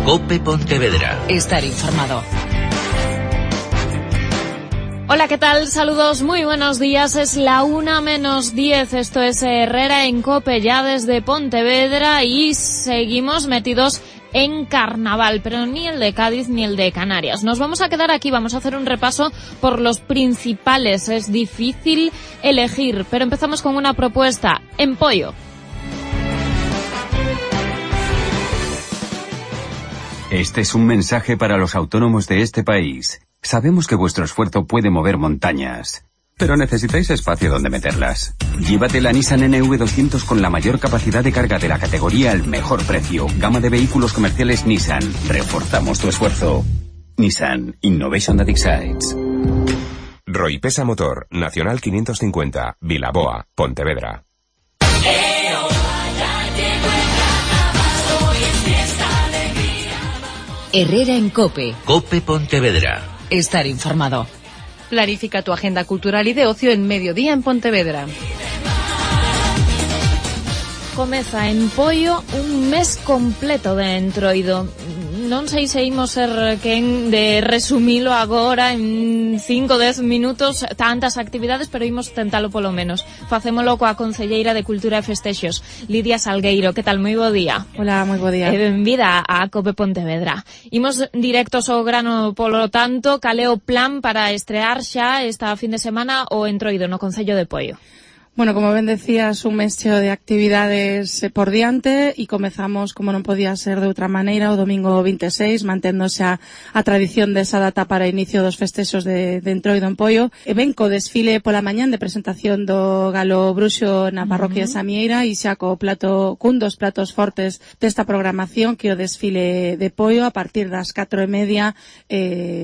COPE Pontevedra. Estar informado. Hola, ¿qué tal? Saludos, muy buenos días. Es la 1:10. Esto es Herrera en COPE, ya desde Pontevedra, y seguimos metidos en carnaval, pero ni el de Cádiz ni el de Canarias. Nos vamos a quedar aquí, vamos a hacer un repaso por los principales. Es difícil elegir, pero empezamos con una propuesta: en Poio. Este es un mensaje para los autónomos de este país. Sabemos que vuestro esfuerzo puede mover montañas, pero necesitáis espacio donde meterlas. Llévate la Nissan NV200 con la mayor capacidad de carga de la categoría al mejor precio. Gama de vehículos comerciales Nissan. Reforzamos tu esfuerzo. Nissan Innovation that excites. Roipesa Motor, Nacional 550, Vilaboa, Pontevedra. Herrera en COPE. COPE Pontevedra. Estar informado. Planifica tu agenda cultural y de ocio en Mediodía en Pontevedra. Comeza en Poio un mes completo de Entroido. Non sei se imos ser quen de resumilo agora en 5 ou 10 minutos tantas actividades, pero imos tentalo polo menos. Facémolo coa concelleira de Cultura e Festexos, Lidia Salgueiro. Que tal? Moi bo día. Hola, moi bo día. Benvida a COPE Pontevedra. Imos directos ao grano, polo tanto, cal é o plan para estrear xa esta fin de semana o Entroido no Concello de Poio? Bueno, como ben decías, un mes cheo de actividades por diante e comezamos, como non podía ser de outra maneira, o domingo 26, manténdose a tradición desa data para inicio dos festexos de Entroido en Poio. E ben co desfile pola mañán de presentación do Galo Bruxo na parroquia de Samieira e xa cun dos platos fortes desta programación, que o desfile de Poio a partir das 4:30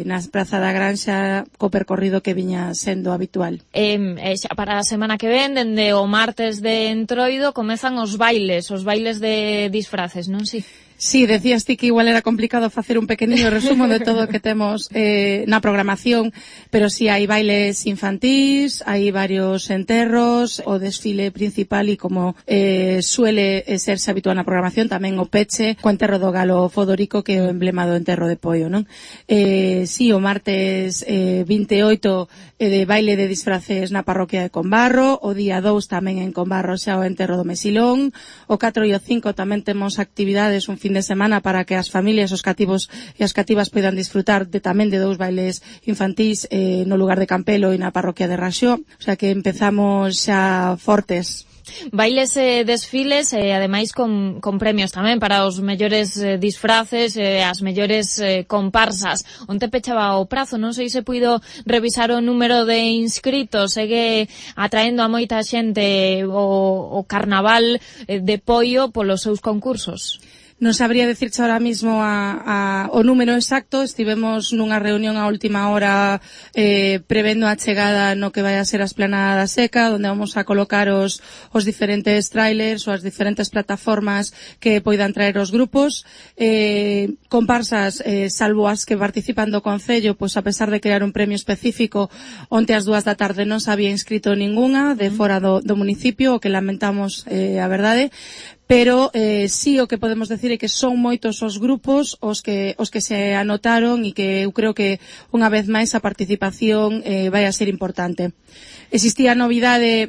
na Praza da Granxa, co percorrido que viña sendo habitual. Xa para a semana que ven, dende o martes de Entroido, comezan os bailes de disfraces, non si? Sí, decías ti que igual era complicado facer un pequeniño resumo de todo o que temos na programación, pero sí hai bailes infantís, hai varios enterros, o desfile principal e como suele serse habitual na programación, tamén o peche, co enterro do Galo Fodorico, que é o emblema do enterro de Poio, non? Sí, o martes 28 de baile de disfraces na parroquia de Combarro, o día 2 tamén en Combarro xa o enterro do Mesilón, o 4 e o 5 tamén temos actividades un fin de semana para que as familias, os cativos e as cativas poidan disfrutar tamén de 2 bailes infantís no lugar de Campelo e na parroquia de Raxó, o sea que empezamos xa fortes. Bailes e desfiles, ademais con premios tamén para os mellores disfraces, as mellores comparsas. Onte pechaba o prazo, non sei se puido revisar o número de inscritos. Segue atraendo a moita xente o carnaval de Poio polos seus concursos. Non sabría dicirche ahora mismo o número exacto. Estivemos nunha reunión a última hora prevendo a chegada no que vai a ser a Esplanada da Seca, onde vamos a colocar os diferentes trailers ou as diferentes plataformas que poidan traer os grupos. Comparsas, salvo as que participan do Concello, pois a pesar de crear un premio específico, onte ás 2 da tarde non se había inscrito ningunha de fora do municipio, o que lamentamos, a verdade. Pero sí, o que podemos decir é que son moitos os grupos os que se anotaron e que eu creo que unha vez máis a participación vai a ser importante. Existía novidade,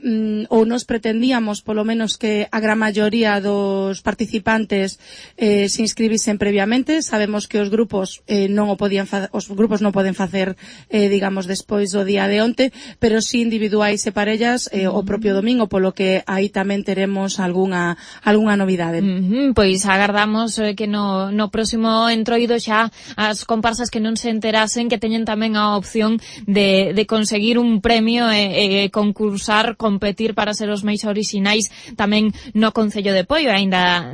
ou nos pretendíamos polo menos que a gran maioría dos participantes se inscribisen previamente. Sabemos que os grupos non poden facer, digamos, despois do día de onte, pero sí individuais e parellas o propio domingo, polo que aí tamén teremos algunha novidade. Pois agardamos que no próximo Entroido xa as comparsas que non se enterasen que teñen tamén a opción de conseguir un premio e concursar, competir para ser os máis orixinais tamén no Concello de Poio, aínda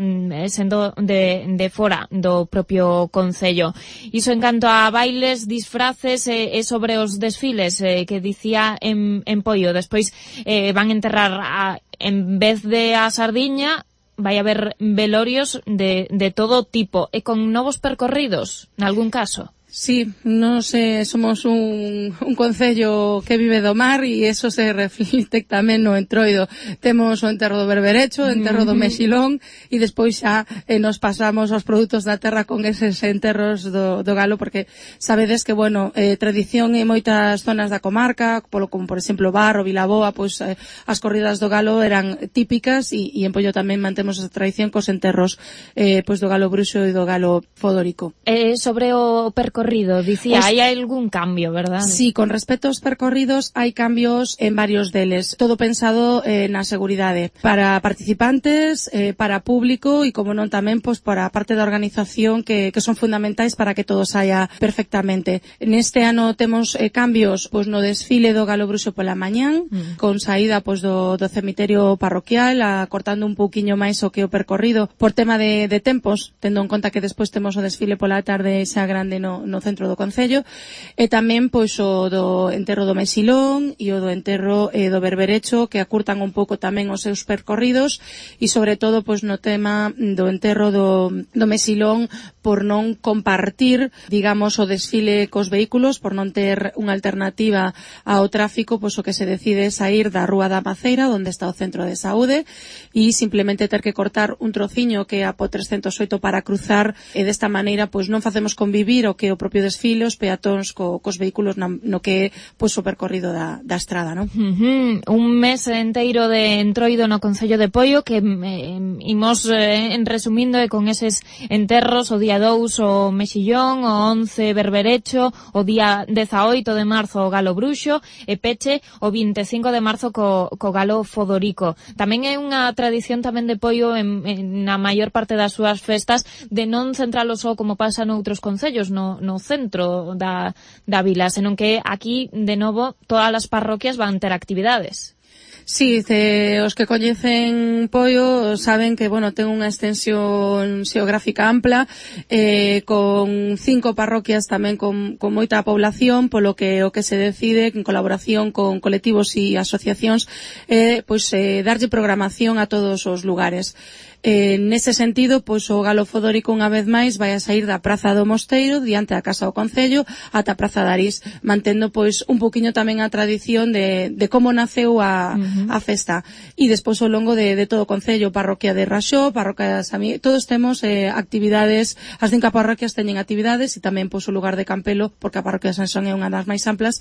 sendo de fora do propio Concello. Iso en canto a bailes, disfraces e sobre os desfiles que dicía en Poio. Despois van enterrar en vez de a sardiña, vai haber velorios de todo tipo e con novos percorridos, nalgún caso. Sí, nos somos un concello que vive do mar e eso se reflicte tamén no Entroido. Temos o enterro do berberecho, o enterro do mexilón e despois xa nos pasamos aos produtos da terra con eses enterros do galo, porque sabedes que, bueno, tradición en moitas zonas da comarca, como por exemplo Bar ou Vilaboa, pois as corridas do galo eran típicas e en Poio tamén mantemos esa tradición cos enterros pois do galo bruxo e do galo fodórico. Sobre o percorrido, dicía, hai algún cambio, verdad? Sí, con respecto aos percorridos hai cambios en varios deles, todo pensado na seguridade para participantes, para público e como non tamén pois para a parte da organización que son fundamentais para que todo saia perfectamente. Neste ano temos cambios pois no desfile do galo bruxo pola mañán, con saída pois do cemiterio parroquial, acortando un pouquiño máis o que o percorrido por tema de tempos, tendo en conta que despois temos o desfile pola tarde xa grande no centro do concello, e tamén pois o do enterro do mexilón e o do enterro do berberecho, que acurtan un pouco tamén os seus percorridos, e sobre todo pois no tema do enterro do mexilón, por non compartir, digamos, o desfile cos vehículos, por non ter unha alternativa ao tráfico, pois o que se decide é sair da Rúa da Maceira, onde está o centro de saúde, e simplemente ter que cortar un trociño que é a po 308 para cruzar, e desta maneira pois non facemos convivir o que o propio desfile, os peatóns cos vehículos no que é pois o percorrido da estrada, non? Un mes enteiro de Entroido no Concello de Poio que imos resumindo con eses enterros, o día 2 o mexillón, o 11 berberecho, o día 18 de marzo o galo bruxo e peche o 25 de marzo co galo fodorico. Tamén é unha tradición tamén de Poio na maior parte das súas festas de non centralo só como pasa noutros concellos no centro da vila, senón que aquí, de novo, todas as parroquias van ter actividades. Sí, os que coñecen Poio saben que, bueno, ten unha extensión xeográfica ampla, con 5 parroquias tamén con moita población, polo que o que se decide en colaboración con colectivos e asociacións pois darlle programación a todos os lugares. Nese sentido, pois o galo fodórico unha vez máis vai a sair da Praza do Mosteiro, diante da Casa do Concello, ata a Praza de Arís, mantendo pois un poquinho tamén a tradición de como naceu a festa. E despois ao longo de todo o Concello, parroquia de Raxó, parroquia de Samí, todos temos actividades, as 5 parroquias teñen actividades, e tamén pois o lugar de Campelo, porque a parroquia de Sansón é unha das máis amplas,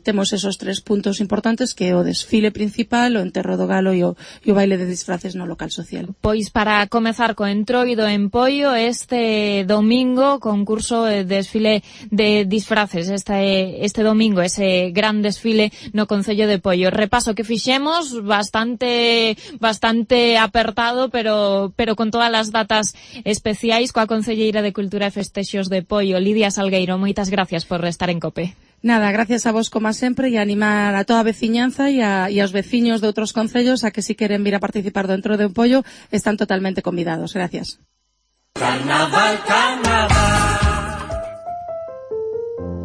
temos esos 3 puntos importantes, que é o desfile principal, o enterro do galo e o baile de disfraces no local social. Pois para comezar co Entroido en Poio, este domingo, concurso desfile de disfraces, este domingo, ese gran desfile no Concello de Poio. Repaso que fixemos, bastante apertado, pero con todas as datas especiais, coa Concelleira de Cultura e Festexos de Poio, Lidia Salgueiro. Moitas gracias por estar en COPE. Nada, gracias a vos como sempre e animar a toda a veciñanza e aos veciños de outros concellos a que si queren vir a participar dentro de Poio están totalmente convidados. Gracias. Carnaval, carnaval.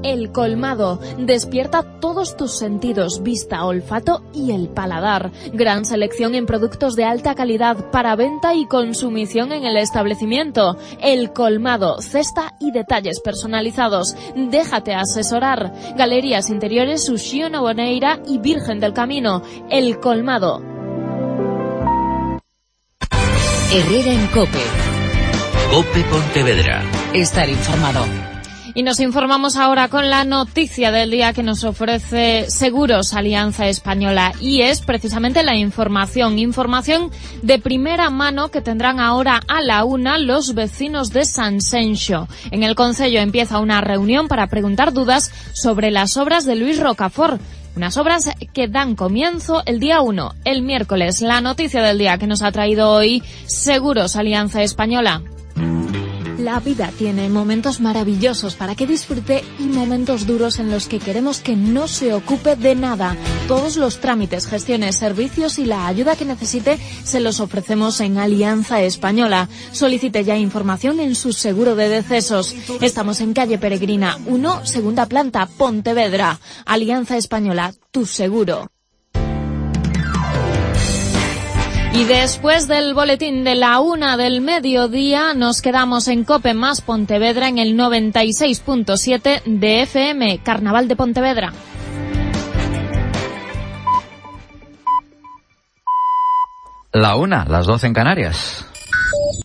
El Colmado. Despierta todos tus sentidos, vista, olfato y el paladar. Gran selección en productos de alta calidad para venta y consumición en el establecimiento. El Colmado. Cesta y detalles personalizados. Déjate asesorar. Galerías interiores Uxío Noboneira y Virgen del Camino. El Colmado. Herrera en COPE. COPE Pontevedra. Estar informado. Y nos informamos ahora con la noticia del día que nos ofrece Seguros Alianza Española, y es precisamente la información de primera mano que tendrán ahora a la 1 los vecinos de Sanxenxo. En el Concello empieza una reunión para preguntar dudas sobre las obras de Luis Rocafort. Unas obras que dan comienzo el día 1, el miércoles. La noticia del día que nos ha traído hoy Seguros Alianza Española. La vida tiene momentos maravillosos para que disfrute y momentos duros en los que queremos que no se ocupe de nada. Todos los trámites, gestiones, servicios y la ayuda que necesite se los ofrecemos en Alianza Española. Solicite ya información en su seguro de decesos. Estamos en calle Peregrina 1, segunda planta, Pontevedra. Alianza Española, tu seguro. Y después del boletín de la 1 del mediodía, nos quedamos en COPE más Pontevedra en el 96.7 de FM, Carnaval de Pontevedra. La 1, las 12 en Canarias.